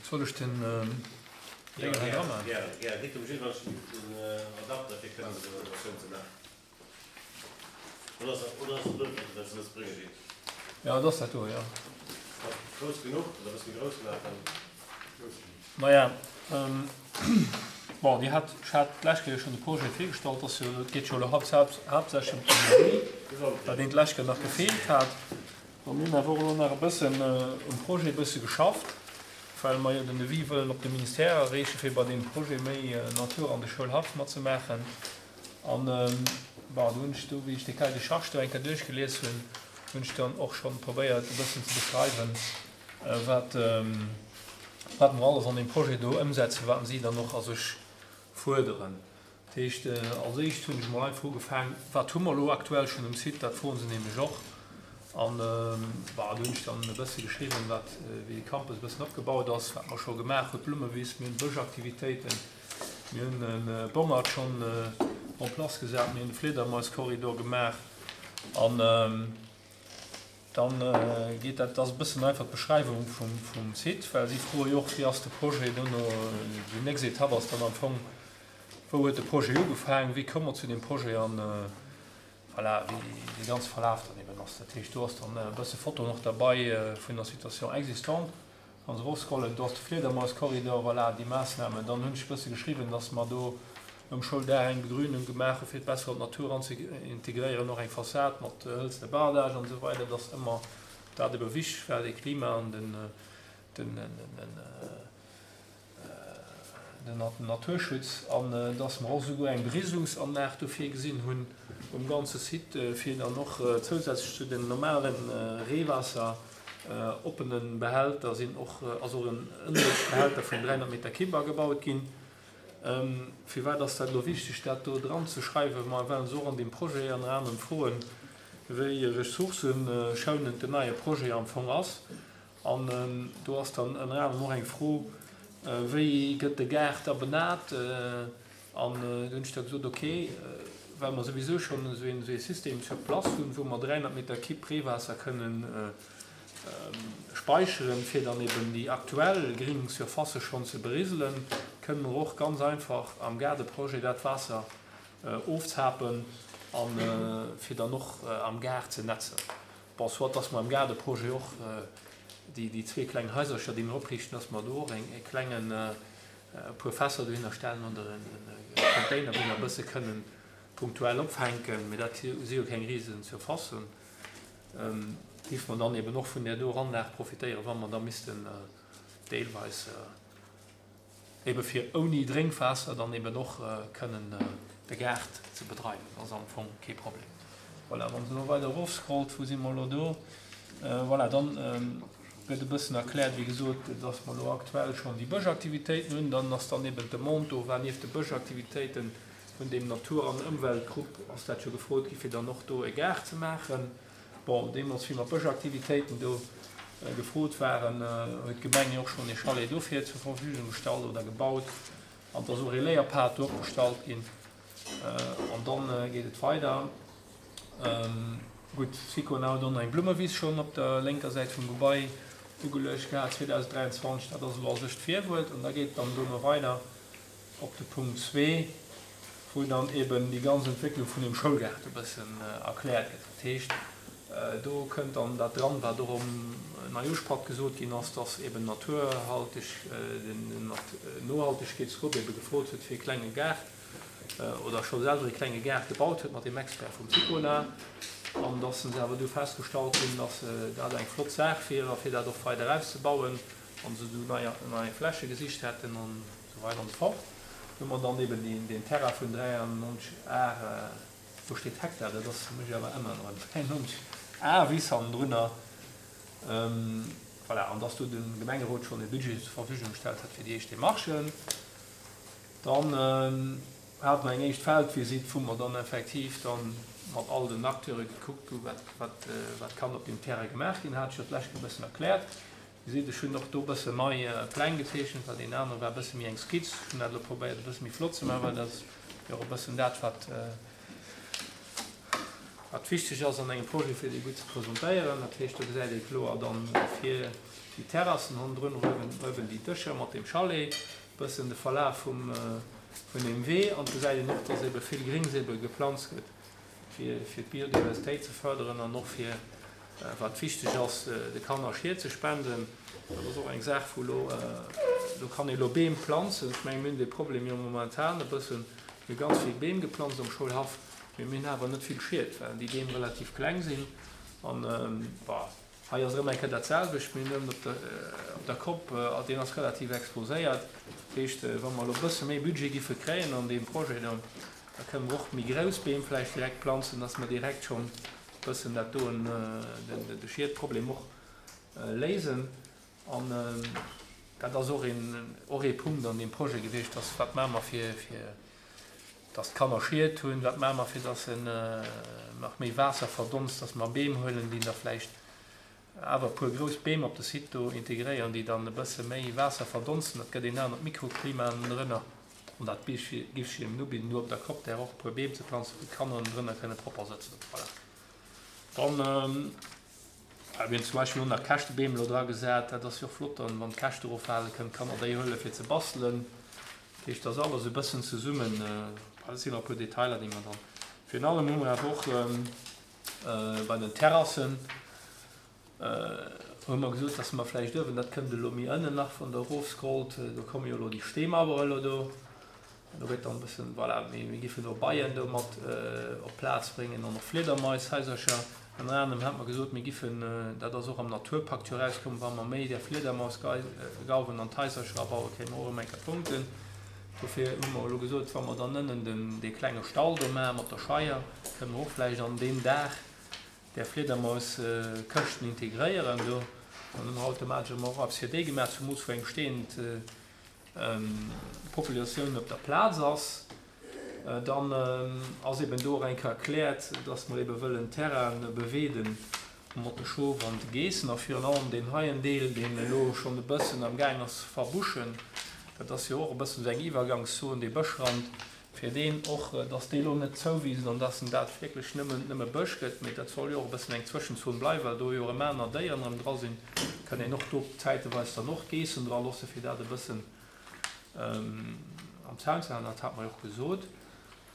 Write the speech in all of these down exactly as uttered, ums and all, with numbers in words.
Soll ech den Déngen hei dra maachen? Jo, et ass dat do, jo. Maja, bon, Dir hat, ech hat d'lescht Kéier schonn de Projet virgestallt, ass jo, et geet jo elo haaptsächlech ëm d'Energie, wat een d'lescht Kéier nach gefeelt hat. Bon, mir hunn awer och elo nach e bëssen um Projet e bësse geschafft, well mer jo den Devis wëllen op de Ministère erreechen, fir bei deem Projet méi Natur an de Schoulhaff matzemaachen. An, bon, do hunn ech do, wéi ech dee Cahier de charges do eng Kéier duerchgelies hunn, hunn ech dann och schonn probéiert e bëssen ze beschreiwen, wat, wat mer alles an deem Projet do ëmsetzen, wat si dann och a sech fuerderen. Dat heescht, als éischt hunn ech emol einfach ugefaang, wat hu mer elo aktuell schonn um Site, dat froen se nämlech och. An, bon, do hunn ech dann e bësse geschriwwen, wat, wéi de Campus e bëssen opgebaut ass, wat mer scho gemaach hunn, d'Blummewiss, mir hunn Bëschaktivitéiten, mir hunn e Bongert schonn en place gesat, mir hunn de Fliedermaiskorridor gemaach an, Dann geet dat, dat ass e bëssen einfach d'Beschreiwung vum Site, well si froe jo och, wéi ass de Projet dono, déi nächst Etapp ass dann am Fong, wou huet de Projet ugefaangen, wéi koum mer zu deem Projet an voilà, wéi dee ganze Verlaf dann eben ass. Dat heescht, do ass dann e bësse Fotoen och derbei vun der Situation existante. Wann se erofscrollen, do ass de Fliedermauskorridor, voilà, déi Maassnamen. Dann hunn ech e bësse geschriwwen, dass mer do um Schouldaach eng Begrünung gemaach hu fir et besser an d'Natur anzeintegréieren, och eng Fassad mat hëlzene Bardage an esou weider, dass ëmmer dat ebe wichteg war, de Klima an den, den, den Naturschutz an dass mer och esouguer eng Beriselungsanlag do virgesinn hunn um ganze Site, fir dann och zousätzlech zu den normale Reewaasser oppene Behälter sinn och, ass och en Ënnerluechtbehälter vun dräihonnert Meter Kibb agebaut ginn. Firwat ass dat elo wichteg, dat do dran ze schreiwen? Ma well se och an deem Projet ënner anerem froen, wéi ressourcëschounend den neie Projet am Fong ass. An do ass dann ënner anerem och eng Fro, Wéi gëtt de Gaart da benat? An do hunn ech da gesot, ok, well mer souwisou schonn esou ee System sur place hunn, wou mer dräihonnert Meter Kibb Reewaasser kënnen speicheren, fir dann eben déi aktuell gring Surfacë schonn ze beriselen, kënnen mer och ganz einfach am Gaardeprojet dat Waasser ofzapen a fir dann och am Gaart ze netzen. Bon, soit dass mer am Gaardeprojet och déi zwee kleng Haisercher, déi mir opriichten, dass mer do och e klengen, e puer Fässer dohinner stellen oder e Container, wou mer e bësse kënnen punktuell opfänken, mee dat si jo keng risen Surfacen, géife mer dann eben och vun där doer Anlag profitéieren, wa mer da missten deelweis ebe fir ouni Drénkwaasser dann eben och kënnen de Gaart ze bedreiwen. Dat ass am Fong kee Problem. Voilà, wann se elo weider erofscrollt, wou si mer elo do? Voilà, dann gëtt e bëssen erkläert, wéi gesot, dass mer elo aktuell schonn déi Bëschaktivitéiten hunn. Dann ass dann eben d'Demande do war, nieft de Bëschaktivitéiten vun deem Natur an Ëmweltgrupp ass dat jo gefrot gi fir dann och do e Gaart ze maachen. Bon, deemools wéi mer d'Bëschaktivitéiten do gefrot waren, huet d'Gemeng jo och schonn ee Chalet dofir zur Verfügung gestallt oder gebaut an et ass och ee Léierpad do opgestallt ginn. An dann geet et weider. Gutt, Sicona huet och nach eng Blummewiss schonn op der lénker Säit vum Gebai ugeluecht gehat zweedausenddräianzwanzeg. Dat ass elo a sech d'Virwuert. An da geet et dann dono weider op de Punkt zwee, wou dann eben déi ganz Entwécklung vun deem Schoulgaart e bëssen erkläert gëtt. Dat heescht, do kënnt dann dat dran, wat och am Neijooschpatt gesot ginn ass, dass eben naturhalteg, den Nohaltegkeetsgrupp ebe gefrot huet fir e klenge Gaart oder scho selwer e klenge Gaart gebaut huet mat deem Expert vum Sicona an dass se awer du festgestallt hunn, dass dat eng flott Saach wier a fir dat och weider auszebauen an se du nei nei Fläche gesicht hätten an esou weider an esou fort. Hu mer dann eben deen Terrain vun dräiannonzeg Ar, do steet Hektar, dat ass, muss ech awer änneren, dräiannonzeg Ar Wiss hannendrunner, voilà, an dass do de Gemengerot schonn e Budget zur Verfügung gestallt hat fir déi éischt Demarchen. Dann hate mer eng éischt Feldvisitt, wou mer dann effektiv dann mat all den Acteure gekuckt hu wat, wat, wat kann op deem Terrain gemaach ginn, hat ech jo d'lescht Kéier e bëssen erkläert. Dir gesitt, ech hunn och do e bëssen nei Pläng gezeechent, well deen anere war e bësse méi eng Skizz. Ech hunn dat elo probéiert e bësse méi flott ze maachen, well dat ass jo och e bëssen dat, wat, Wat wichteg ass an engem Projet, fir dee gutt ze presentéieren. Dat heescht, do gesäit ee kloer dann vir déi Terrassen, hannendrun uewen déi Dëscher mat dem Chalet, e bëssen de Verlaf vum, vun deem Wee an et gesäit een och, dass ebe vill Grings ebe geplanzt gëtt, fir, fir d'Biodiversitéit ze fërderen an och fir, wat wichteg ass, de Kanner Schied ze spenden. Dat ass och eng Saach, wou elo, do kann ee elo Beem planzen. Ech mengen, mir hunn dee Problem jo momentan e bëssen, mir hu ganz vill Beem geplanzt am Schoulhaff. Mee mir hunn awer net vill Schied, well déi Beem relativ kleng sinn. An, bon, hei ass erëm eng Kéier dat selwecht. Mir hunn ënnen op der, op der Kopp, deen ass relativ exposéiert. Dat heescht, wa mer elo e bësse méi Budget giffe kréien an deem Projet do, da kënne mer och méi grouss Beem vläicht direkt planzen, dass mer direkt schonn e bëssen dat doen, de Schiedproblem och léisen. An dat ass och een, och ee Punkt an deem Projet gewiescht, dass, wat maache mer fir, fir dass d'Kanner Schied hunn, wat maache mer fir dass en nach méi Waasser verdonst, dass mer Beem huelen, déi da vläicht awer e puer grouss Beem op de Site do integréieren, déi dann e bësse méi Waasser verdonsten. Dat gëtt een anert Mikroklima ënnendrënner. An dat géif ech hinnen ubidden, do op der Kopp där och e puer Beem ze planzen, wou d'Kanner ënnendrënner kënne propper sëtzen. Voilà. Dann, mir hunn zum Beispill och nach Käschtebeem elo dra gesat. Dat ass jo och flott dann, wann d'Käschte eroffalen, kënnen d'Kanner déi huele fir ze bastelen. Dat heescht, dat ass alles e bëssen zesummen. Dat sinn nach e puer Detailer, déi mer dann. Virun allem hu mer awer och bei den Terrassen hu mer gesot, dass mer vläicht uewen, dat kënnt elo méi ënnen nach, wann Der erofscrollt, do komme jo elo déi Steemauere elo do. Do gëtt dann e bëssen, voilà, mir giffen do Beien do mat op d'Plaz bréngen an och Fliedermaishaisercher. Ënner anerem hat mer gesot, mir giffen, dat ass och am Naturpakt jo erauskomm, wa mer méi där Fliedermausgauwen an d'Haisercher abauen, kréie mer och erëm eng Kéier Punkten. Dofir hu mer elo gesot, wa mer dann ënnen den, dee klenge Stall do maache mat der Scheier, kënne mer och vläicht an deem Daach där Fliedermauskëschten integréieren do. Dann hu mer automatesch ëmmer och eppes fir déi gemaach, zumools wou eng besteeënd Populatioun op der Plaz ass. Dann ass eben do och eng Kéier erkläert, dass mer ebe wëllen Terraine beweeden mat de Schof an de Geessen a virun allem deen heien Deel, deen elo schonn e bëssen am gaang ass ze verbuschen, dat ass jo och e bëssen esou eng Iwwergangszon, dee Bëschrand, fir deen och, dass dee elo net zouwiisst an dass en dat wierklech nëmmen, nëmme Bësch gëtt, mee dat soll jo och e bëssen eng Zwëschenzon bleiwen, well do jo erëm aner Déieren erëm dra sinn, kann een och do zäiteweis dann och Geessen dra loosse fir dat e bëssen am Zaun ze halen. Dat hat mer jo och gesot.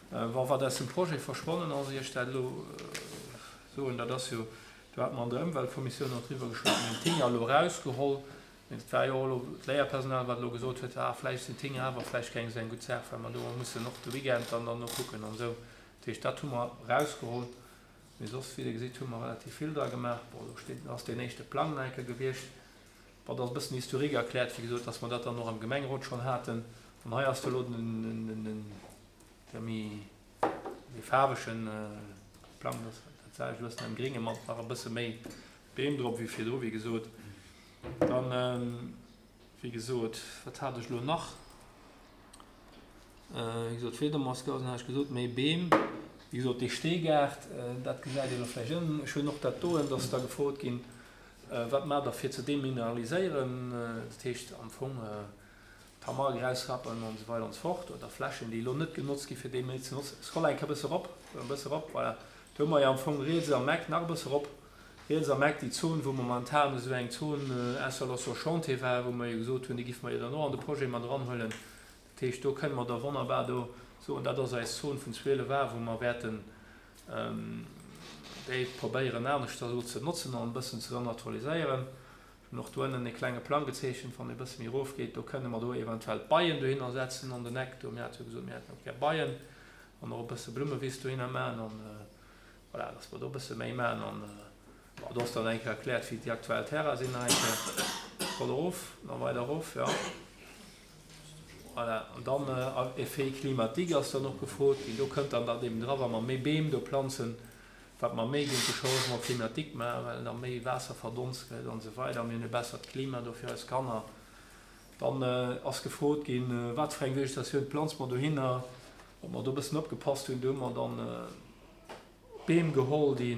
Wa wat aus dem Projet verschwonnen ass, ier ech dat elo soen, dat ass jo, do hat mer an der Ëmweltkommissioun och driwwer geschwat, mir hunn d'Hinger elo erausgeholl, mee et war jo och elo d'Léierpersonal, wat elo gesot huet, ah vläicht sinn d'Hinger awer vläicht keng esou eng gutt Saach, well mer do mussen och de Weekend dann dann nokucken an esou. Dat heescht, dat hu mer erausgeholl. Mee soss, wéi Der gesitt, hu mer relativ vill dra gemaach. Bon, do steet, ass deen éischte Plang nach eng Kéier gewiescht. Bon, da ass e bëssen Historique erkläert, wéi gesot, dass mer dat dann och am Gemengerot schonn haten. An hei ass da elo den, den, den, de méi, méi faarwegen Plang, dat dat selwecht, e bëssen am Gringe mat nach e bësse méi Beem drop wéi virdru, wéi gesot. Dann, wéi gesot, wat hat ech elo nach? Wéi gesot, Fliedermausgausen hat ech gesot, méi Beem. Wéi gesot, dee Steegaart, dat gesäit ee elo vläicht ënnen. Ech hunn och dat doen, dass da gefrot ginn, Wat maacht Der fir ze demineraliséieren? Dat heescht am Fong Tamarg erausrappen an esou weider an esou fort oder Flächen, déi elo net genotzt ginn, fir déi méi ze notzen. Scroll eng Kéier e bësse erop, e bësse erop, voilà. Do hu mer jo am Fong riets am Eck, nach e bësse erop, riets am Eck déi Zon, wou momentan esou eng Zone Installation Chantier war, wou mer jo gesot hunn, déi giffe mer jo dann och an de Projet mat eranhuelen. Dat heescht, do kënne mer da wonnerbar do soen, dat ass eis Zon vun zwielef A, wou mer wäerten déi probéieren aneschter elo ze notzen an e bëssen ze renaturaliséieren. Ech hunn och do ënnen e klenge Plang gezeechent, wann ee bësse méi erofgeet, do kënne mer do eventuell d'Beien dohinner setzen an den Eck do. Mir hate jo gesot, mir hätten och gär Beien an och e bësse Blummewiss dohinner maachen an voilà, dass mer do e bësse méi maachen. An bon, do ass dann eng Kéier erkläert, wéi déi aktuell Terraine sinn nach eng Kéier. Scroll erof, nach weider erof, jo. Voilà, an dann Effet climatique ass dann och gefrot ginn. Do kënnt dann dat eben dra, wa mer méi Beem do planzen, wat mer méi géint de Changement climatique maachen, well da méi Waasser verdonst gëtt an esou weider. Mir hunn e bessert Klima do fir eis Kanner. Dann ass gefrot ginn, wat fir eng Vegetatioun planze mer dohinner, ob mer do e bëssen opgepasst hunn. Do hu mer dann Beem geholl, déi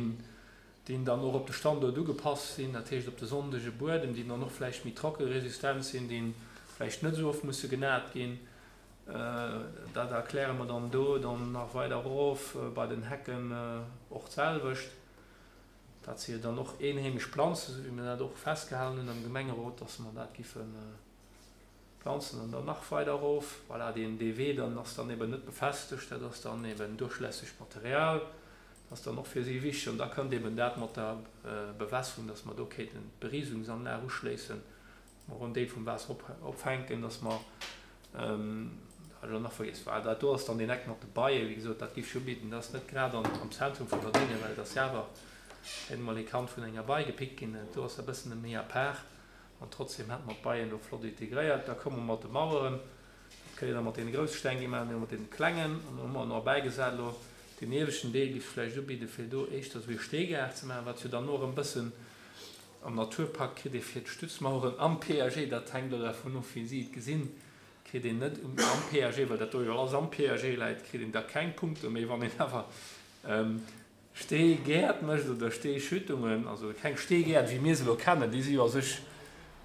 déi dann och op de Standuert ugepasst sinn, dat heescht op de sonnege Buedem, déi dann och vläicht méi trockeresistent sinn, déi vläicht net esou oft musse genat ginn. Dat erkläre mer dann do dann nach weider erof, bei den Hecken och d'selwecht. Dat si jo dann och eenheemesch Planzen, esou wéi mir dat och festgehalen hunn am Gemengerot, dass mer dat giffe planzen. An dann nach weider erof, voilà, deen, dee Wee dann ass dann eben net befestegt, dat ass dann eben duerchlässegt Material, dat ass dann och fir si wichteg. An da kënnt eben dat mat der Bewässerung, dass mer do kéinten d'Beriesungsanlag uschléissen, mer och en Deel vum Waasser opfänken, dass mer, dat hat ech elo nach vergiess, voilà, dat do ass dann deen Eck mat de Beien, wéi gesot, dat géif ech ubidden, dat ass net grad am Zentrum vun der Dénge, well et ass jo awer kéint emol ee Kand vun enger Bei gepickt ginn, do ass e bëssen méi à part an trotzdem hätte mer d'Beien do flott integréiert. Da komme mer mat de Maueren, dat kënnt Dir da mat deene grousse Steng gi maachen, mir mat deene klengen an do hu mer nach bäigesat elo deen ieweschten Deel géif ech vläicht ubidde fir do éischter esou ee Steegaart ze maachen, wat jo dann och e bëssen am Naturpakt kritt ee fir d'Stützmaueren am P A G, dat hänkt elo dervun of wéi si et gesinn, kritt een net um am P A G, well dat do jo alles am P A G läit, kritt een da keng Punkte méi, wann een awer Steegäert mécht oder Steeschüttungen, also keng Steegäert wéi mir se elo kennen, déi si jo a sech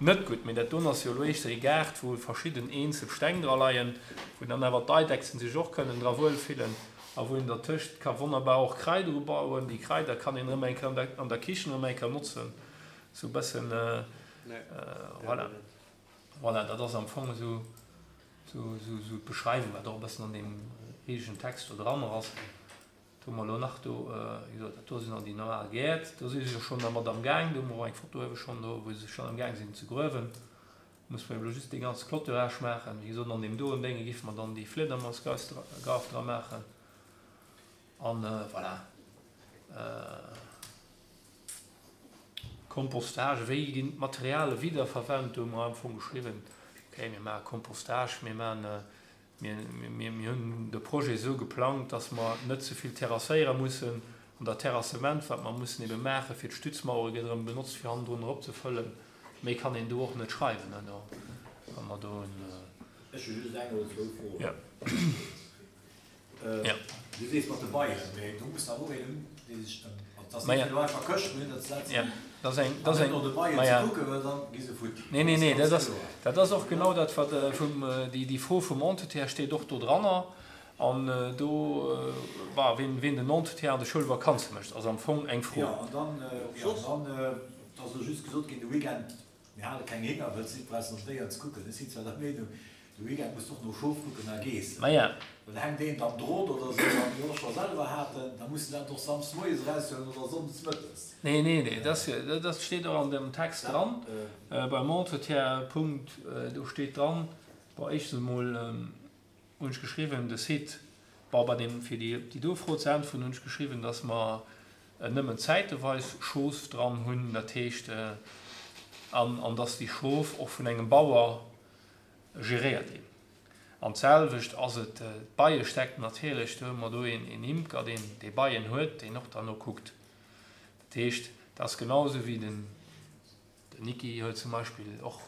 net gutt, mee dat doen ass jo elo éischter ee Gaart, wou verschidden eenzel Steng dra leien, wou dann awer d'Eidechsen sech och kënnen dra wuelfillen a wou een dertëscht ka wonnerbar och Kraider ubauen. Déi Kraider kann een erëm eng Kéier an der an der Kichen erëm eng Kéier notzen, esou e bëssen, voilà. Voilà, dat ass am Fong esou esou esou d'Beschreiwung, wat och e bëssen an deem riesegen Text do dran ass. Do hu mer elo nach do, wéi gesot, dat do sinn dann déi normal Gäert. Do si se jo schonn dermat am Gaang. Do hu mer och eng Foto uewe schonn do, wou se schonn am Gaang sinn ze gruewen. Do musse mer ebe elo just dee ganze Clôturage maachen. Wéi gesot, an deem doen Dénge géife mer dann déi Fliedermausgraff dra maachen. An voilà. Kompostage, wéi ginn d'Materiale wiederverwent? Do hu mer am Fong geschriwwen, okay, mir maache Kompostage, mir maachen Mir hunn de Projet esou geplangt, dass mer net ze vill terrasséiere mussen. An dat Terrassement, wat mer mussen ebe maachen, fir d'Stützmauere gëtt erëm benotzt, fir hannendrun eropzefëllen. Méi kann een do och net schreiwen, wa mer do en. Ech hu just eng oder zwou Froen. Jo. Du sees mat de Beien, mee do muss awer och een hunn, dee sech ëm, also et ass net fir elo einfach Këschten dohinner ze setzen an net no de Beien ze kucken, well dann gi se futti. Nee, nee, nee, dat ass, dat ass och genau dat, wat vum, déi, déi Fro vum Entretien steet och do dranner. An do, bah, wien, wien den Entretien an de Schoulvakanze mécht, ass am Fong eng Fro. Jo, an dann, jo, an dann, et ass elo just gesot ginn, de Weekend, mir hale keng Hénger, wëll si brauchen op d'Déieren ze kucken. Ech sinn zwar der Meenung, De Weekend muss och no Schof kucken a Geessen. Maja. Well hänkt een am Drot oder esou, wat mir och scho selwer haten, da muss de dat och samsdes moies eraushuelen oder sonndes mëttes. Nee, nee, nee, dat dat steet och an dem Text dran, beim Entretien, Punkt, do steet dran, bon, éischtens emol hunn ech geschriwwen, de Site, bon, bei deem, fir déi déi do Fro ze äntweren, hunn ech geschriwwen, dass mer nëmmen zäiteweis Schof dran hunn, dat heescht, an an dass déi Schof och vun engem Bauer geréiert ginn. An d'selwecht ass et d'Beiestäck natierlech, do hu mer do een Imker, deen déi Beien huet, deen och derno kuckt. Dat heescht, dat ass genau esou wéi den Niki huet zum Beispill och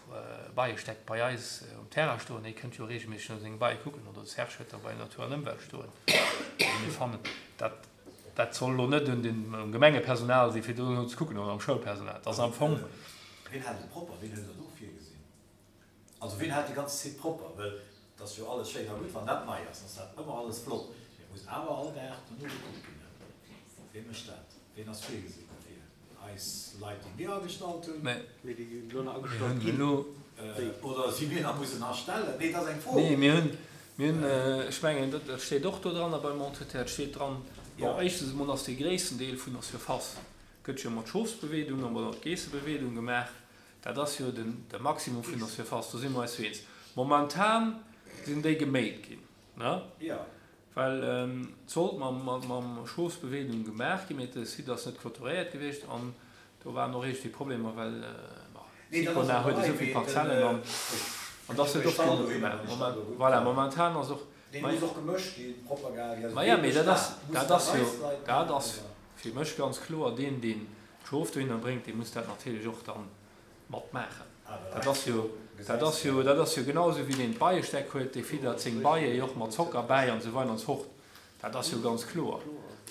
Beiestäck bei eis um Terrain stoen, dee kënnt jo reegelméisseg no senge Beie kucken, oder de Serge huet der bei Natur an Ëmwelt stoen. Also mir fannen, dat dat soll elo net un den um Gemengepersonal si fir dono ze kucken oder um Schoulpersonal. Dat ass am Fong. Wien hält et propper? Wien huet dat och virgesinn? Also wien hält déi ganz Site propper? Well et ass jo alles schéin a gutt, wann dat nei ass, ass dat ëmmer alles flott, mee et muss awer all Dag dono gekuckt ginn. Wee mécht dat? Ween ass virgesinn dofir? Eis Leit, déi mir agestallt hunn? Mee déi elo nach agestallt ginn. Oder si mir nach mussen astellen? Nee, et ass eng Fro. Nee, mir hunn, mir hunn, ech mengen, dat steet och do dran a beim Entretien, et steet dran, bon, éischtens emol ass dee gréissten Deel vun der Surface gëtt jo mat Schofsbeweedung a mat Geessebeweedung gemaach. Dat ass jo den, de Maximum vun der Surface, do si mer eis jo eens. Momentan sinn déi geméit ginn, ne? Well et sollt mam, mam Schofsbeweedung gemaach ginn, mee de Site ass net clôturéiert gewiescht an do waren och iergendwéi Problemer, well, bon, Sicona huet esou vill Parzellen an, an dass huet och keen gemaach. Voilà, momentan ass och. Maja, mee dat ass, dat ass jo, dat ass fir mech ganz kloer, deen, deen d'Schof dohinner bréngt, dee muss dat natierlech och dann mat maachen. Dat ass jo, dat ass jo, dat ass jo genau esou wéi deen d'Beiestäck huet, dee fiddert seng Beie jo och mat Zocker bäi an esou weider an esou fort. Dat ass jo ganz kloer.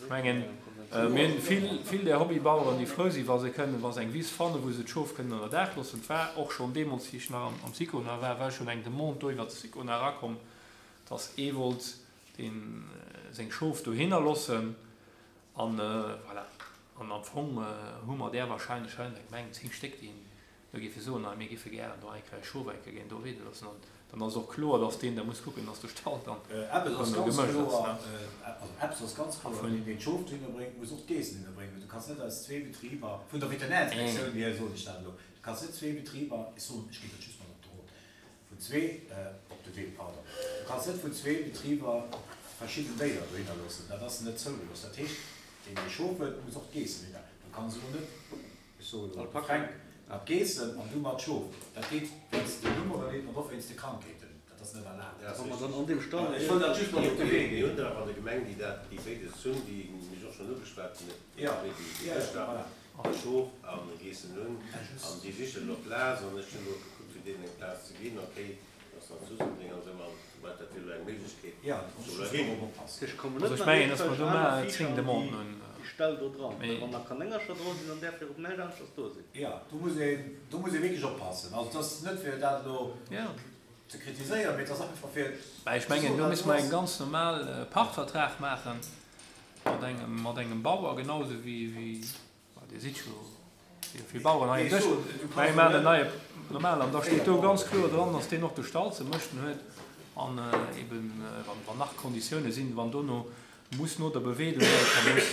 Ech mengen, mir hunn vill, vill där Hobbybaueren, déi frou sinn, wa se kënnen, wa se eng Wiss fannen, wou se d'Schof kënnen ënner Daach loossen. Et war och schonn deemools, wéi ech nach am, am Sicona war, war schonn eng Demande do iwwert de Sicona erakomm, dass ee wollt deen seng Schof dohinner loossen an voilà. An am Fong hu mer där wahrscheinlech hei an der Gemeng zéng Stéck, déi do géife soen, hei mir géife gären do eng Kéier eis Schof eng Kéier ginn do weede loossen. An dann ass och kloer, dass deen da muss kucken, dass de Stall dann Eppes ass erëm ganz gemëscht ass, kloer, ne. also eppes ass ganz A kloer, vun. Deen, deen d'Schof dohinner bréngt, muss och d'Geessen hinner bréngen. Du kanns net aus zwee Betriber, vun der Veterinärinspektioun hier soen ech dat elo, du kanns net zwee Betriber, ech soen, ech ginn dat just mat op de Rot, vun zwee, op de Wee, pardon, du kanns net vun zwee Betriber verschidden Déier dohinner loossen, dat ass net zougelooss. Dat heescht, deen, dee Schof huet, muss och d'Geessen hinner. Du kanns elo net, ech soen elo, de Alpaka. Fränk mat Geessen an du mat Schof. Dat geet wéinst den Nummeren an och wéinst de Krankheeten. Dat ass net erlaabt. Dat ass Wa mer richtig. dann an deem Stall Ech wëll dat just mat op de Wee Mir ginn. hunn der awer an der Gemeng, déi dat, déi béides hunn, déi mech och schonn ugeschwat hunn, Ja, déi déi ja, Gëschter voilà. Schof a Geessen hunn, Ja, just. an déi sichen elo Plaz, an ech hunn elo gekuckt, fir deenen eng Plaz ze ginn. Okay, dat ass dann Suseldeng an esou, an wat dat wier elo eng Méiglechkeet, Ja, da muss soll just er hin. drop oppassen. Ech kommen Also net ech nach mengen, dass mer iergendwelch do aner mar Viecher zéng an déi Demanden hunn. déi Ställ do dran, well Mee. wann da Kanéngercher dra sinn, dann däerf jo op näischt aneschters do sinn. Ja, do muss een, do muss ee wierklech oppassen. Also dat ass net fir dat elo Ja. ze kritiséieren, mee dat ass einfach fir Mä ech ze mengen, soen, do dat misste mer ass. eng ganz normal Pachtvertrag maachen mat engem, mat engem Bauer, genauso wéi, wéi, ma Dir sidd jo, jo vill Bauern hei Nee, um Dësch. so, du Mä kanns mir maachen en net neie normal, an da steet Véier do ganz Bauern. kloer dran, dass deen och de Stall ze mëschten huet an eben, wann, wann nach Konditioune sinn, wann dono muss no der Beweedung eng Kéier muss,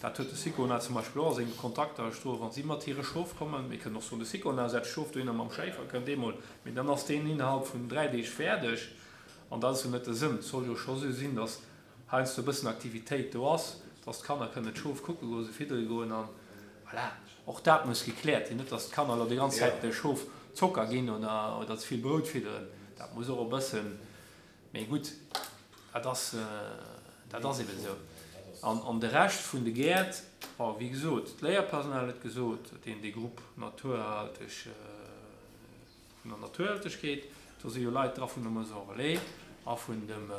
dat huet de Sicona zum Beispill och a senge Kontakter stoen, wa si mat hire Schof kommen, mir kënnen och soen, de Sicona setzt d'Schof dohinner mam Schéifer, kënnt eemol, mee dann ass deen innerhalb vun dräi Deeg fäerdeg an dat ass jo net de Sënn. Et soll jo scho sou sinn, dass heiansdo e bëssen Aktivitéit do ass, dass d'Kanner kënnen d'Schof kucke goen, se fiddere goen an voilà. Och dat muss gekläert ginn, net dass d'Kanner elo déi ganz Zäit de Schof Zocker ginn oder, oder ze vill Brout fidderen. Dat muss och e bëssen, mee gutt, dat ass, dat ass eben esou. An, an de Rescht vun de Gäert, bon, wéi gesot, d'Léierpersonal huet gesot, deen dee Grupp Naturerhalteg, vun der Naturerhaltegkeet, do si jo Leit dra vun der Maison Relais a vun dem,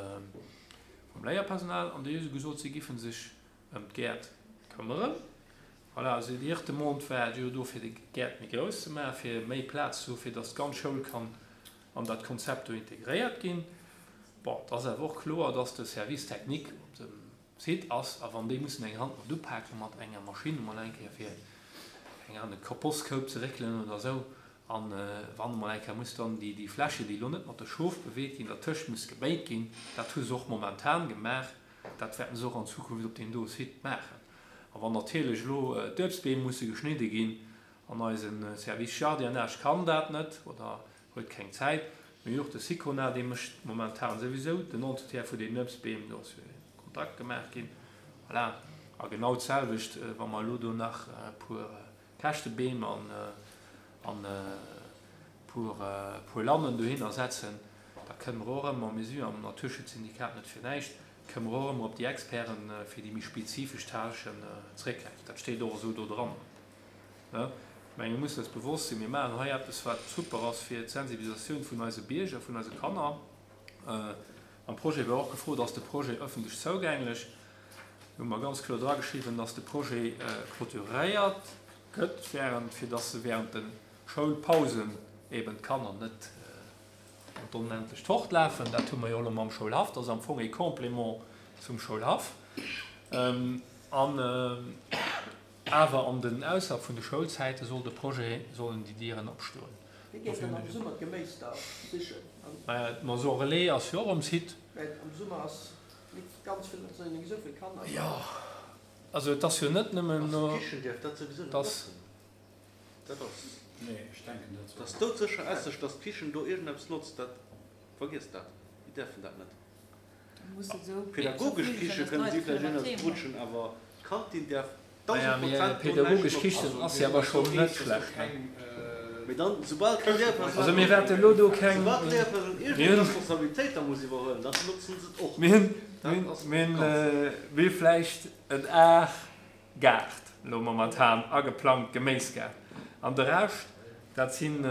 vum Léierpersonal, an déi hu gesot, si giffen sech ëm d'Gäert këmmeren. Voilà, also déi éischt Demande war jo do, fir de Gäert méi grouss ze maachen, fir méi Plaz ze hu fir datt d'ganz Schoul kann an dat Konzept do integréiert ginn. Bon, et ass awer och kloer, datt de Service technique op dem Site ass, a wann déi mussen eng Hand mat upake mat enger Maschinn emol eng Kéier fir eng an de Kompostkoup ze réckelen oder esou, a wann emol eng Kéier muss dann déi, déi Fläche, déi elo net mat de Schof beweet ginn, dertëscht muss geméit ginn, dat hu se och momentan gemaach, dat wäerten se och an Zukunft op deem do Site maachen. A wann natierlech elo d'Uebstbeem musse geschnidde ginn an eise Service Jardinage kann dat net oder huet keng Zäit, mee och de Sicona, dee mécht momentan souwisou den Entretien vun deenen Uebstbeem, do ass jo e Kontakt gemaach ginn. Voilà. A genau d'selwecht, wa mer elo do nach e puer Käschtebeem an an e puer puer Lannen dohinner setzen, da kënne mer och ëmmer, mir si jo am Naturschutzsyndikat net fir näischt, kënne mer och ëmmer op déi Experten fir déi méi spezifesch Tâchen zréckgräifen. Dat steet och esou do dran. Ne? Ech menge mir mussen eis bewosst sinn, mir maachen hei eppes, wat super ass fir d'Sensibilisatioun vun eise Bierger, vun eise Kanner. Am Projet war och gefrot, ass de Projet ëffentlech zougänglech? Do hu mer ganz kloer drageschriwwen, dass de Projet clôturéiert gëtt, während, fir dass se während de Schoulpausen eben d'Kanner net an d'Onendlecht fortlafen. Dat hu mer jo elo mam Schoulhaff, dat ass am Fong e Complément zum Schoulhaff. An awer an den ausserhalb vun de Schoulzäite soll de Projet, sollen déi Dieren opstoen. Wie geet dann am Summer d'Geméis da sichen? Maja, d'Maison Relais ass jo och um Site. Well am Summer ass net ganz vill, et sinn jo esou vill Kanner. Jo, also et ass jo net nëmmen Also no, d'Kichen dierf dat souwisou net dass. notzen. Dat ass. Nee, ech denken dat Dat ass doudsécher Esseg, dass d'Kichen do iergendeppes notzt, dat, vergiesst dat, déi däerfen dat net. Pädagogesch Kiche kënnen si vläicht iergendeppes brutschen, awer d'Kantin däerf Naja, dausend mee Prozent do näischt pädagogesch notzen. Kichen ass jo awer schonn net schlecht, ne? Mee dann, soubal d'Léierpersonal, Also mir wäerte elo do keng, soubal d'Léierpersonal mir iergendeng hunn, Responsabilitéit da muss iwwerhuelen, dann notzen se et och. mir hunn, Dat mir hunn, ass mir hunn, ganz. mir hu vläicht en Aar Gaart elo momentan ageplangt, Geméisgaart. An de Rescht, dat sinn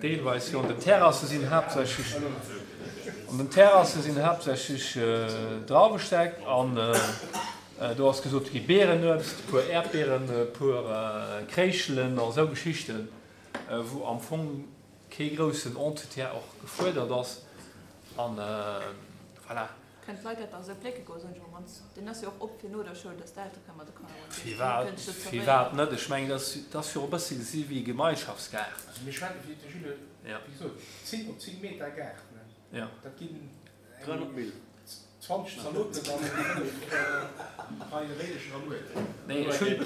deelweis jo an den Terrasse sinn haaptsächlech, an den Terrasse sinn haaptsächlech Drauwestäck an do ass gesot gi Beerenuebst, e puer Äerdbeeren, e puer Kréischelen a sou Geschichten, wou am Fong kee groussen Entretien och gefuerdert ass. An voilà. Kënnen d'Leit dat da esou plécke goen, soen ech emol, wann deen ass jo och op fir no der Schoul, dass d'Eltere kënnen mat de Kanner ronderëm Firwat, kënnen se firwat net? Ech mengen, dat ass, dat ass jo och e bëssi gesi wéi e Gemeinschaftsgaart. Also mir schwätzen, wéi de Jules, Ja. wéi gesot, zéng op zéng Meter Gaart, ne? Ja. Dat ginn dräihonnert Mille. zwanzeg Zaloten an fënnef Reie Réidecher a Muerten. Nee, ech hunn,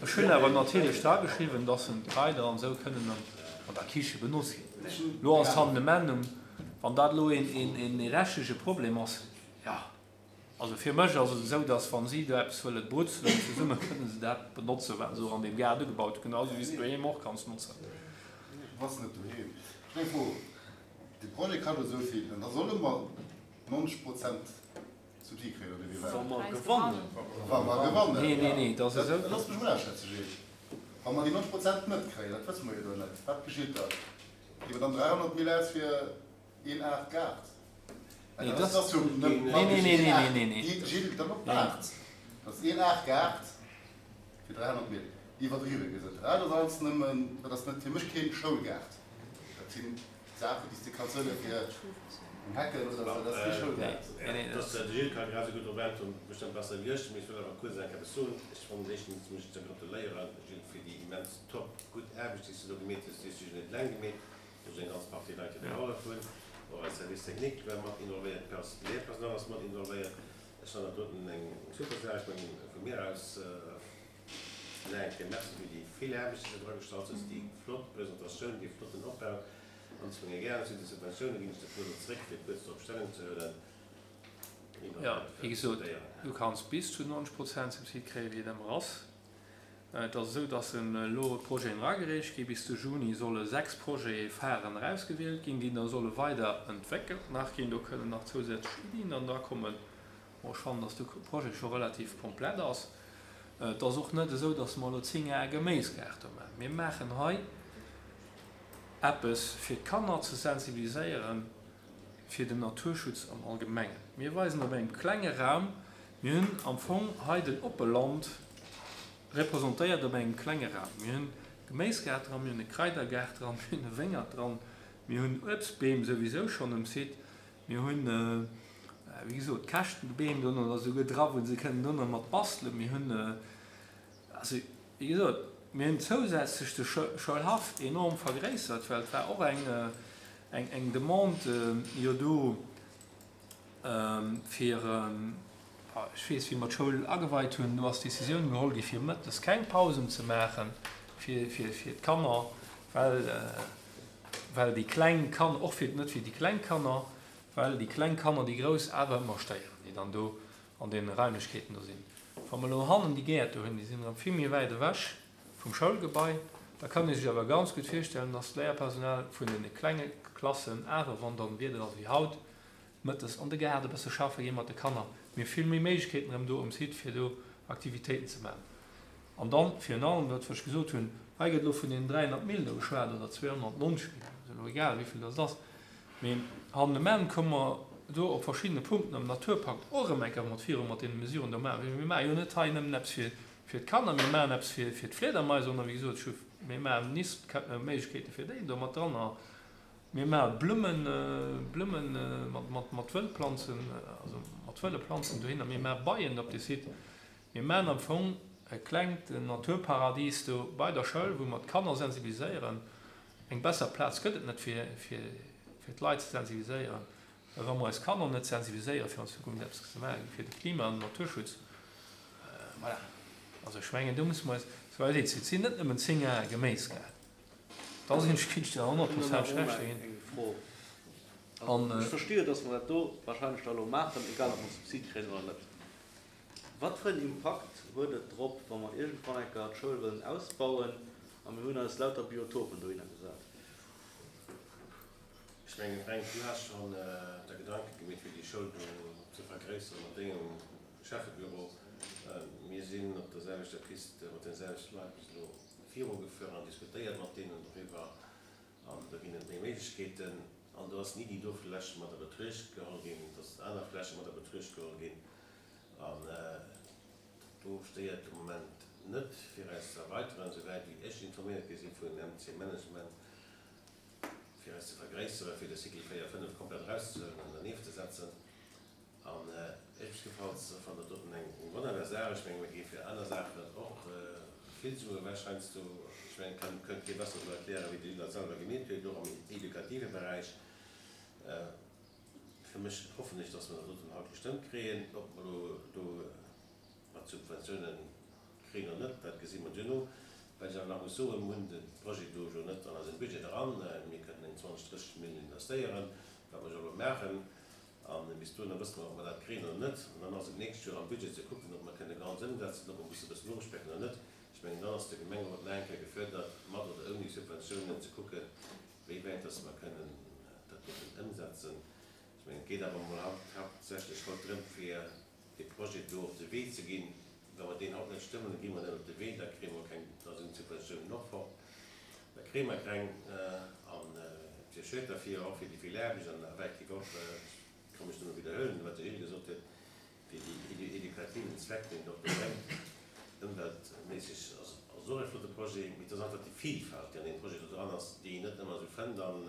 ech hunn awer natierlech dra geschriwwen, dass en d'Kraider an esou kënnen an, an der Kiche benotzt ginn. Lo ass d'Handemendung, wann dat elo een, een, een rechtliche Problem ass, ja, also fir mech ass et esou, dass wann si do eppes wëlle brutzelen zesumme, kënnen se dat benotzen, wat se och an deem Gaart ugebaut hunn, genauso wéi s de doheem och kanns notzen. Was net doheem? Ech meng Fro, de Projet kascht esou vill, an da solle mer neunzeg Prozent Subsid kréien, oder wéi war Wa dat? mer gewannen. Wa mer gewannen. Nee, nee, nee, dat ass esou. Looss mech mol aschätzen, Gilles. Wa mer déi neunzeg Prozent net kréien, dat wësse mer jo do net, wat geschitt da? Gi mer dann dräihonnert Mille aus fir een Aart Gaart? Nee, Dat das ass jo net Nee, nee, nee, nee, nee, nee, nee. Déi Gilles, dann op Nee. Aart. Dat ass een Aart Gaart fir dräihonnert Mille. Iwwerdriwwe gesot. Ja, dat ass alles nëmmen, dat ass net fir mech keen Schoulgaart. Dat sinn Saachen, déi s de kanns huele fir eng Hecken oder sou, dat ass kee Schoulgaart. Nee, nee, Das, de Gilles kann grad esou gutt drop äntweren, bestëmmt besser wéi ech, mee ech wëll awer kuerz eng Kéier eppes soen. Ech fannen éischtens mech ze gratuléieren, Gilles, fir déi immens top gutt Aarbecht, déi s du do gemeet hues. Déi hues du jo net eleng gemeet. Do sinn eng ganz Partie Leit, déi Ja. gehollef hunn. Och eis Service technique war mat involvéiert, d'Pers-, d'Lehrpersonal ass mat involvéiert. Ech fannen dat doten eng super Saach. Ech mengen, vu mir aus, äh, eng Kéier Merci fir déi vill Aarbecht, déi du dra gestallt hues, déi flott Presentatioun, dee flotten Opbau. An ech menge gären zu de Subventioune ginn ech de Flo zréck, fir kuerz drop Stellung ze huelen. Ja, wéi gesot, du kanns bis zu neunzeg Prozent Subsid kréien, wéi et ëmmer ass. Et ass esou, dass en elo Projeten eragereecht gi. Bis de Juni solle sechs Projete pharen erausgewielt ginn, déi da solle weider entwéckelt nach ginn. Do kënnen nach zousätzlech Iddien dann dra kommen. Bon, ech fannen, dass de Projet scho relativ komplett ass. Et ass och net esou, dass mer elo zéng Ar Geméisgaart do maachen. Mir maachen hei eppes fir d'Kanner ze sensibiliséieren fir den Naturschutz am Allgemengen. Mir weisen op engem klenge Raum, mir hunn am Fong hei den Oppeland representéiert op engem klenge Raum. Mir hunn Geméisgaart dran, mir hunn e Kraidergaart dran, mir hunn e Wéngert dran, mir hunn Uebstbeem souwisou schonn um Site, mir hunn, wéi gesot, Käschtenbeem do oder souguer dra, wou se kënnen do nach mat bastelen. Mir hunn, also wéi gesot, mir hunn zousätzlech de Schoulhaff enorm vergréissert, well et war och eng, eng, eng Demande jo do, fir, ech weess, wéi mer d'Schoul ageweit hunn, do ass d'Decisioun geholl gi fir mëttes keng Pausen ze maachen fir, fir, fir d'Kanner, well, well déi kleng Kanner, och fir, net fir déi kleng Kanner, well déi kleng Kanner déi grouss awer ëmmer stéieren, déi dann do an deene Raimlechkeeten do sinn. Wa mer elo hannen déi Gäert do hunn, déi sinn erëm vill méi wäit ewech vum Schoulgebai, da kann ee sech awer ganz gutt virstellen, dass d'Léierpersonal vun deene klenge Klassen awer, wann dann Wieder ass wéi haut, mëttes an de Gaart e bësse schaffe gi mat de Kanner. Mir hu vill méi Méiglechkeeten erëm do um Site, fir do Aktivitéiten ze maachen. An dann, virun allem, dat wat ech gesot hunn, hei gëtt elo vun deenen dräihonnert Mille do geschwat, oder zweehonnertneunzeg Mille, ass elo egal, wéi vill dat ass. Mee hannen um Enn komme mer do op verschiddene Punkten am Naturpakt och erëm eng Kéier mat viru mat deene Mesuren do maachen. Mir maache jo net hei nëmmen eppes fir, fir d'Kanner, mir maachen eppes fir, fir d'Fliedermais, sondern wéi gesot, ech hu, mir maachen Nistméiglechkeete fir déi do mat dran. A mir maachen Blummen, Blummen mat, mat, mat Wëllplanzen, also mat wëlle Planzen dohinner. Mir maache Beien op de Site. Mir maachen am Fong e klengt Naturparadies do bei der Schoul, wou mer d'Kanner sensibiliséieren. Eng besser Plaz gëtt et net fir, fir, fir d'Leit ze sensibiliséieren. Well wa mer eis Kanner net sensibiliséieren, fir an Zukunft eppes ze maachen, fir de Klima- an den Naturschutz, voilà. Also ech mengen, do musse mer eis, sou weit et sinn net nëmmen zéng Ar Geméisgaart. Da sinn ech kritt der honnert Prozent schlecht ginn. Eng Fro. An, Ech verstehe, dass mer dat do wahrscheinlech da elo maachen, egal ob mer Subsid kréien oder net. Wat fir en Impakt huet et drop, wa mer iergendwann eng Kéier d'Schoul wëllen ausbauen a mir hunn eis lauter Biotopen dohinner gesat? Ech mengen, Fränk, du has schonn der Gedanke gemeet, fir déi Schoul do ze vergréisseren mat dengem Chefebüro. Mir sinn op der selwechter Piste mat den selwechten Leit bis elo virugefuer an diskutéiert mat deenen doriwwer. An do ginn et méi Méiglechkeeten. An do ass ni déi do Fläche mat der Betruecht geholl ginn, dass aner Fläche mat der Betruecht geholl ginn. An do stéiert de Moment net fir eis ze erweiteren, souwäit wéi ech informéiert gi sinn vun M C Management, fir eis ze vergréisseren, fir de Cycle véier, fënnef komplett erauszehuelen an dernieft ze setzen. An ech gefällt fannen dat doten eng wonnerbar Saach. Ech menge mir gi fir aner Saachen och vill Sue ewech heiansdo. Ech mengen, kann, kënnt kee besser esou erklären, wéi de Gilles dat selwer gemeet huet, och am edukative Beräich. Fir mech hoffen ech, dass mer dat doten haut gestëmmt kréien. Ob mer elo do mat Subventiounen kréien oder net, dat gesi mer duerno. Wat ech awer nach muss soen, Mir hunn de Projet do jo net an eisem Budget eran. Mir kënnen eng zwanzeg, drësseg Mille investéieren, wat mer jo elo maachen. A bis dohinner wësse mer, ob mer dat kréien oder net. An dann ass et d'nächst Joer am Budget ze kucken, ob mer kënne ganz ëmsetzen, ob mer musse e bëssen ofspecken oder net. Ech mengen, dann ass de Gemengerot nach eng Kéier gefuerdert, mat oder ouni Subventiounen ze kucken, wéi wäit dass mer kënnen dat doten ëmsetzen. Ech mengen, et geet awer emol haaptsächlech haut drëm, fir dee Projet do op de Wee ze ginn. Wa mer deen haut net stëmmen, da gi mer net op de Wee, da kréie mer keng, da sinn d'Subventiounen och fort, da kréie mer keng. An et wier schued derfir, och fir déi vill Aarbecht an effektiv och, ech ka mech nëmme widderhuelen, wat de Gilles gesot huet, fir déi edukativen Zweck, deen et och do bréngt, ëmweltméisseg ass et och e flotte Projet, mee et ass einfach déi Vielfalt, déi an deem Projet do dran ass, déi een net ëmmer esou fënnt. An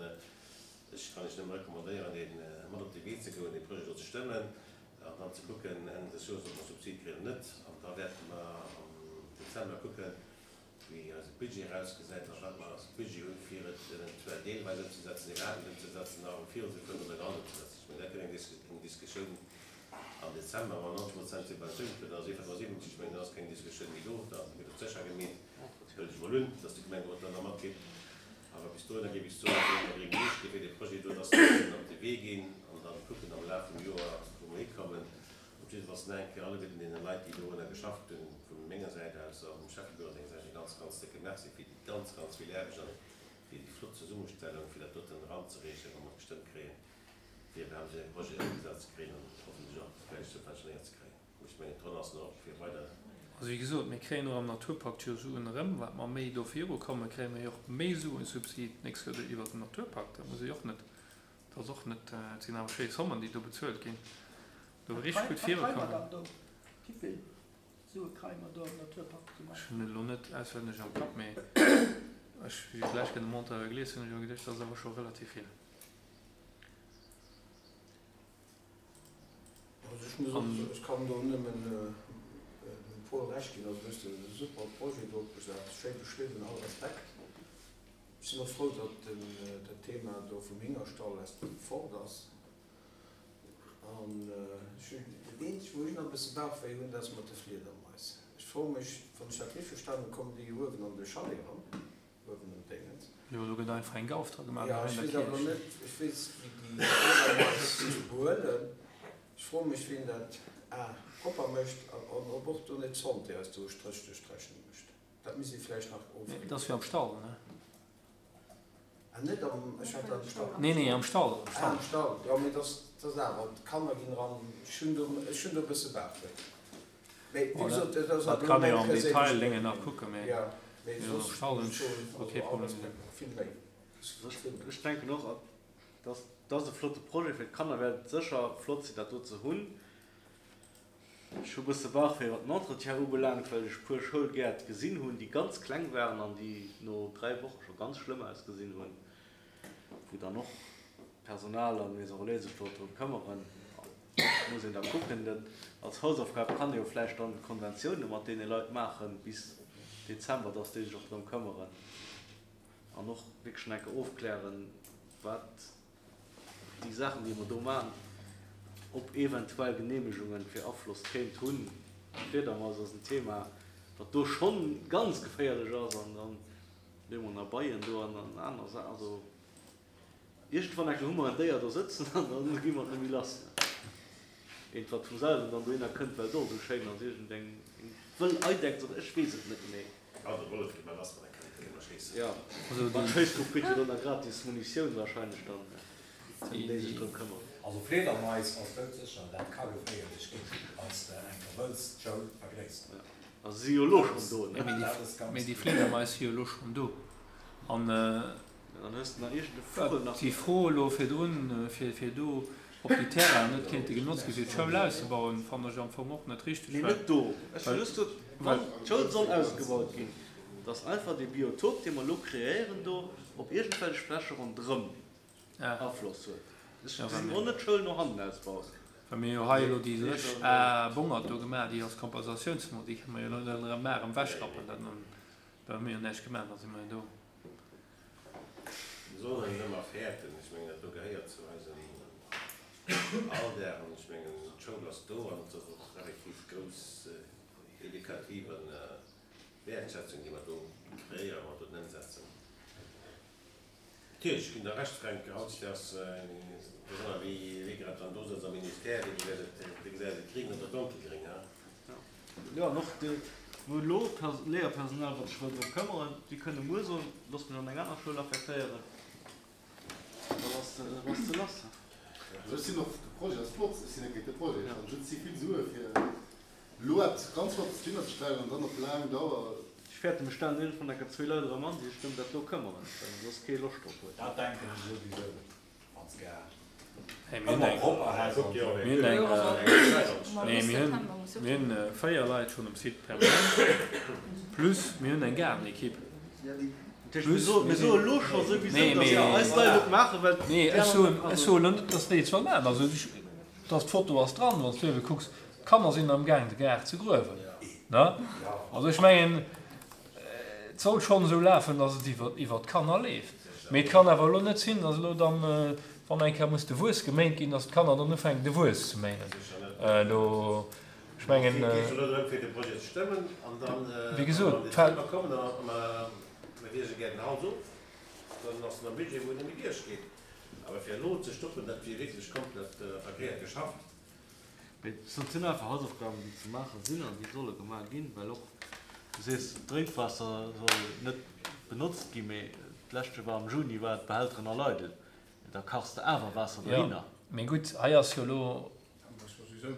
ech kann Iech nëmme recommandéieren, dee mat op de Wee ze goen, dee Projet do ze stëmmen an dann ze kucken Enn des Joers, ob mer Subsid kréien oder net. An da wäerte mer am Dezember kucken, wéi eise Budget erausgesäit a wat mer als Budget hunn, fir et eventuell deelweis ëmzesetzen, iwwerhaapt net ëmzesetzen, nach virunzefueren oder ganz ëmzesetzen. Ech mengen, dat gëtt eng Diskussioun am Dezember, wann neunzeg Prozent Subventioun kritt, da ass ee fënnefensiwwenzeg, ech mengen, dann ass keng Diskussioun méi do, da gëtt et sécher gemeet, huelen ech emol un, dass de Gemengerot dann nach matgeet. Awer bis dohinner géif ech soen, solle mer gréng Liicht gi fir dee Projet do, dass mer kënnen op de Wee ginn an dann kucken am Laf vum Joer, wou mer hikommen. Op jiddefalls nach eng Kéier alleguerten deene Leit, déi dorunner geschafft hunn, vu menger Säit aus a vum Schäffebüro senger Säit e ganz, ganz décke Merci fir déi ganz, ganz vill Aarbecht an fir déi flott Zesummestellung, fir dat doten eranzereechen, wa mer et gestëmmt kréien, fir iwwerhaapt esou e Projet ëmgesat ze kréien an hoffentlech och vläicht subventionéiert ze kréien. Ech mengen, d'Ronn ass nach op fir weider. Also wéi gesot, mir kréien och am Naturpakt jo Suen erëm. Wat mer méi do virukommen, kréie mer jo och méi Suen, Subsid d'nächst Joer iwwert den Naturpakt. Dat muss ee jo och net, dat ass och net, et sinn awer schéi Zommen, déi do bezuelt ginn, do Wat richteg gutt kréie mer virukommen. dann do? Wéivill Sue kréie mer do am Naturpakt zum Ech Beispill? hunn et elo net auswenneg am Kapp, mee ech, wéi ech d'lescht Kéier de Montant gelies hunn, hunn ech jo geduecht, dat ass awer scho relativ vill. Also ech muss och An. soen, ech kann do nëmmen dem Paul Recht ginn. Also du hues e super Projet do opgesat, schéi beschriwwen, all Respekt. Ech sinn och frou, datt den, dat Thema do vum Héngerstall aus dem fort ass. An ech hunn, dat eenzegt wou ech nach e bësse Bauchwéi hunn, dat ass mat de Fliedermais. Ech froe mech, wann ech dat richteg verstanen hunn, kommen déi uewen an de Chalet eran, uewen um Déngens. Jo, do gëtt einfach eng Gauf dra gemaach, Ja, hei ech an der weess awer Kierch. net, ech weess wéi déi Fliedermais sech behuelen. Ech froe mech, wien dat a propper mécht an ob och do net d'Santé eis do e Stréch duerch d'Rechnung mécht. Dat misst ee vläicht nach Nee, dat ass ofklären. jo am Stall, ne? Ah, net am, ech hat dat am Stall. Nee, nee, am Stall, am Ah, Stall. am Stall, jo, mee dat ass awer, d'Kanner ginn eran, ech hunn do, ech hunn do e bësse Bauchwéi. Mee wéi Bon, dat, gesot, dat ass dat awer elo kann ee meng jo am Detail perséinlech Déngen nach Meenung. kucken, mee Jo, mee jo, am soss Stall muss hunn ech ech soen, och also kee all Problem. Respekt, vill Méi. Vill Méi. Ech denken och, dass dat ass e flotte Projet fir d'Kanner, wäert et sécher flott sinn, dat do ze hunn. Ech hu bësse Bauchwéi wat den Entretien ubelaangt, well ech puer Schoulgäert gesinn hunn, déi ganz kleng waren an déi no dräi Woche scho ganz schlëmm ausgesinn hunn, wou dann och Personal an Maison Relais sech do drëm këmmeren. Muss een da kucken. Dat als Hausaufgab kann ee jo vläicht dann Konventioune mat deene Leit maachen bis Dezember, dass déi sech och drëm këmmeren an och wierklech nach eng Kéier ofklären, wat déi Saachen, déi mer do maachen, ob eventuell Genehmegungen fir Afloss kéint hunn. D'Fliedermaus ass en Thema, wat do schonn ganz geféierlech ass an dann hu mer nach Beien do an aner Saachen. Also iergendwann eng Kéier hu mer en Déier do sëtzen an da gi mer et net méi lass. Eent, wat vum selwen dann dohinner kënnt, well et och esou schéin ass, iergendeng wëll Eidechs oder ech weess et net genee. Also de Wollef gi mer lass, well da kënne mer schéissen. Jo, Also wann déi. d'Schéissgrupp kritt jo dann nach gratis Munitioun wahrscheinlech dann, ëm déi sech drëm këmmern. Also Fliedermais ass doudsécher, dat ka geféierlech ginn, wann s de eng Kéier wëlls d'Schoul vergréisseren. Also si jo elo schonn do, ne? Mee déi, Dat ass ganz mee déi kloer. Fliedermais si jo elo schonn do. An Dann hues de nach iergend e Vugel nach. déi Fro elo virdrun, fir, fir do, ob déi Terrainen net kéinte genotzt gi fir d'Schoul auszebauen, fannen ech am Fong och net richteg, Nee, well, net do. Ech well, just gesot, well. wann d'Schoul soll ausgebaut ginn, dass einfach dee Biotop, dee mer elo kreéieren do, op iergendwelch Fläche ronderëm. Afloss huet. Ech gesinn och net d'Schoul no hannen ausbauen. Well mir jo hei elo déi lëscht Aer Bongert do gemaach, déi als Kompensatiounsmo, déi kënne mer jo elo net erëm maachen, ewechrappen. Dat hu mir jo näischt gemaach, da si mer jo do. Mir sollen net ëmmer fäerten. Ech mengen, dat do gehéiert zu eisem Alldag. An ech mengen, d'Schoul ass do an et ass och effektiv grouss edukativ Wäertschätzung, déi mer do kreéieren, wa mer dat ëmsetzen. Natierlech, ech ginn der Recht, Fränk, hautdesdaags, besonner wéi wéi grad dann do sëtzt am Ministère, dee gesäit et, dee gesäit et gring oder donkelgring, ha? Jo, an och déi, wou elo Léierpersonal, wat sech wëll drëm këmmeren, déi kënne muer soen, Loosst mech an eng aner Schoul affektéieren, da bass de, da bass de lass. Also ech sinn och, de Projet ass flott, ech sinn net géint de Projet, ech fannen just, et si vill Sue fir elo eppes ganz Flottes op d'Been ze stellen an dann op laang Dauer. Ech fäerten, mir stellen iergendwann enker zwee Leit erëm an, déi sech ëm dat do këmmeren, well se soss kee Loscht drop huet. Dat denken ech souwisou, wann s gär Hey, mir hunn ëmmer eng, propper häss an mir esou. hunn eng, Jo, also nee, bis mir hunn, September muss jo mir hunn véier Leit schonn um Site permanent, plus mir hunn eng Gaardenekipp. Dat heescht, mir Plus soe, mir mir sinn, soe elo scho souwisou, nee, datt mee, mer eis Leit et maachen, well nee, déi ech aner soen, net, ech also. soen elo net, datt déi et solle maachen. Also ech, datt d'Foto ass dran, wann s du ebe kucks, d'Kanner sinn amgaang de Gaart ze gruewen, ne? Also ech mengen, et soll schonn esou lafen, datt et iwwer, iwwer d'Kanner leeft. Mee et kann awer elo net sinn, datt elo dann, wann eng Kéier muss de Wuess geméint ginn, datt d'Kanner dann ufänken de Wuess ze méinen. Do, ech mengen, Et geet elo drëm fir de Projet ze stëmmen an dann, wéi wann gesot, mer am d'Feld. Dezember kommen, a mer wierge gär den Hals of, dann ass en am Budget, wou en net méi duerchgeet. Awer fir elo ze stoppen, dat wier wierklech komplett verkéiert geschafft. Mee et sinn einfach Hausaufgaben, déi ze maache sinn an déi solle gemaach ginn, well och, du sees, d'Drénkwaasser soll net benotzt ginn, mee d'leschte war am Juni, war d'Behälteren all eidel, da kachs de awer Waasser Jo, dohinner. mee gutt, hei ass jo elo, jo,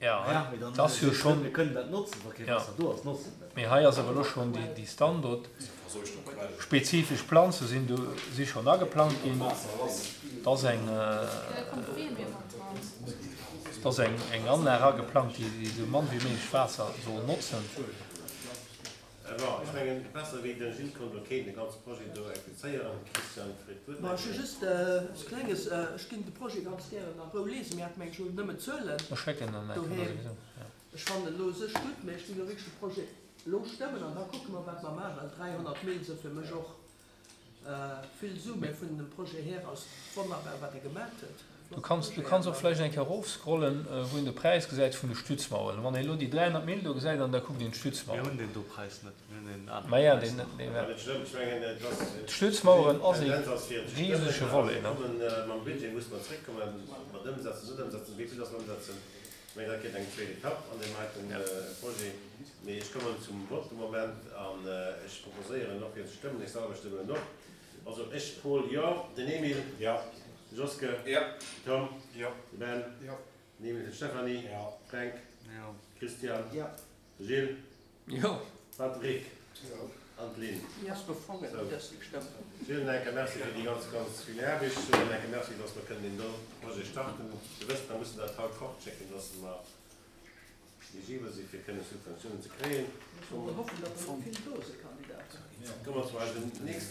Ja, mee dann et ass jo sees de net, schonn, mir kënnen dat notzen, wa kee jo, Waasser do ass, notzen dat. mee hei ass awer elo schonn déi, déi Standort, spezifesch Planze sinn do, si schonn ageplant ginn, et ass eng, et ass eng, eng Anlag ageplangt, déi, déi esou mann wéi méiglech Waasser soll notzen. Bon, ech mengen, besser wéi den Gilles konnt elo keen de ganze Projet do explizéieren. Christian freet d'Wuert Ma nach ech hu eng Kéier. just eppes Klenges, ech ginn de Projet ganz gären a Rou liesen. Mir hate mengen ech elo nëmmen d'Zuelen Ech schécken en eng Kéier doheem. souwisou, jo. Ech fannen elo u sech gutt, mä ech ginn elo wierklech de Projet elo stëmmen an da kucke mer, wat mer maachen, well dräihonnert Mille si fir mech och vill Su, mä vun dem Projet hier ass wonnerbar, wat e gemat huet. Du Flotte kanns, du Projet kanns an och da. vläicht eng Kéier erofscrollen, wou een de Präis gesäit vun de Stützmauern. Wann een elo déi dräihonnert Mille do gesäit an da kuckt een Mir d'Stützmauern. hunn deen do Präis net, mir hunn deen anere Maja, Präis deen, nach. deen Dat war net schlëmm. Ech mengen, et ass, D'Stützmauern ass ee d'Tendenz ass fir ze stëmmen risege a Volet, mir ne? kommen mam Budget, musse mer zréckkommen, mat ëmsetzen, net ëmsetzen, wéi vill dass mer ëmsetzen. Ech mengen, dat kritt eng zweet Etapp an deem heiten Projet. Mee ech kommen zum Vott de Moment an ech proposéieren och fir ze stëmmen. Ech selwer stëmmen och. Also ech, Paul, jo. Den Emil. Jo. De Joske. Jo. Tom. Jo. De Ben. Jo. Den Emil, den Stéphanie. Jo. Fränk. Jo. Christian. Jo. De Gilles. Jo. Patrick. Jo. An d'Lynn. Ass befongen, Sou. dass déi gestëmmt hunn. Gilles, en enke Merci fir déi ganz, ganz vill Aarbecht. En enke Merci, dass mer kënnen deen do Projet starten. Dir wësst, mer mussen dat haut fortschécken, dass mer eligibel si fir kënnen Subventiounen ze kréien. Muss mer hoffen, datt der vill do si Kandidaten. Komme mer zu eisem nächsten.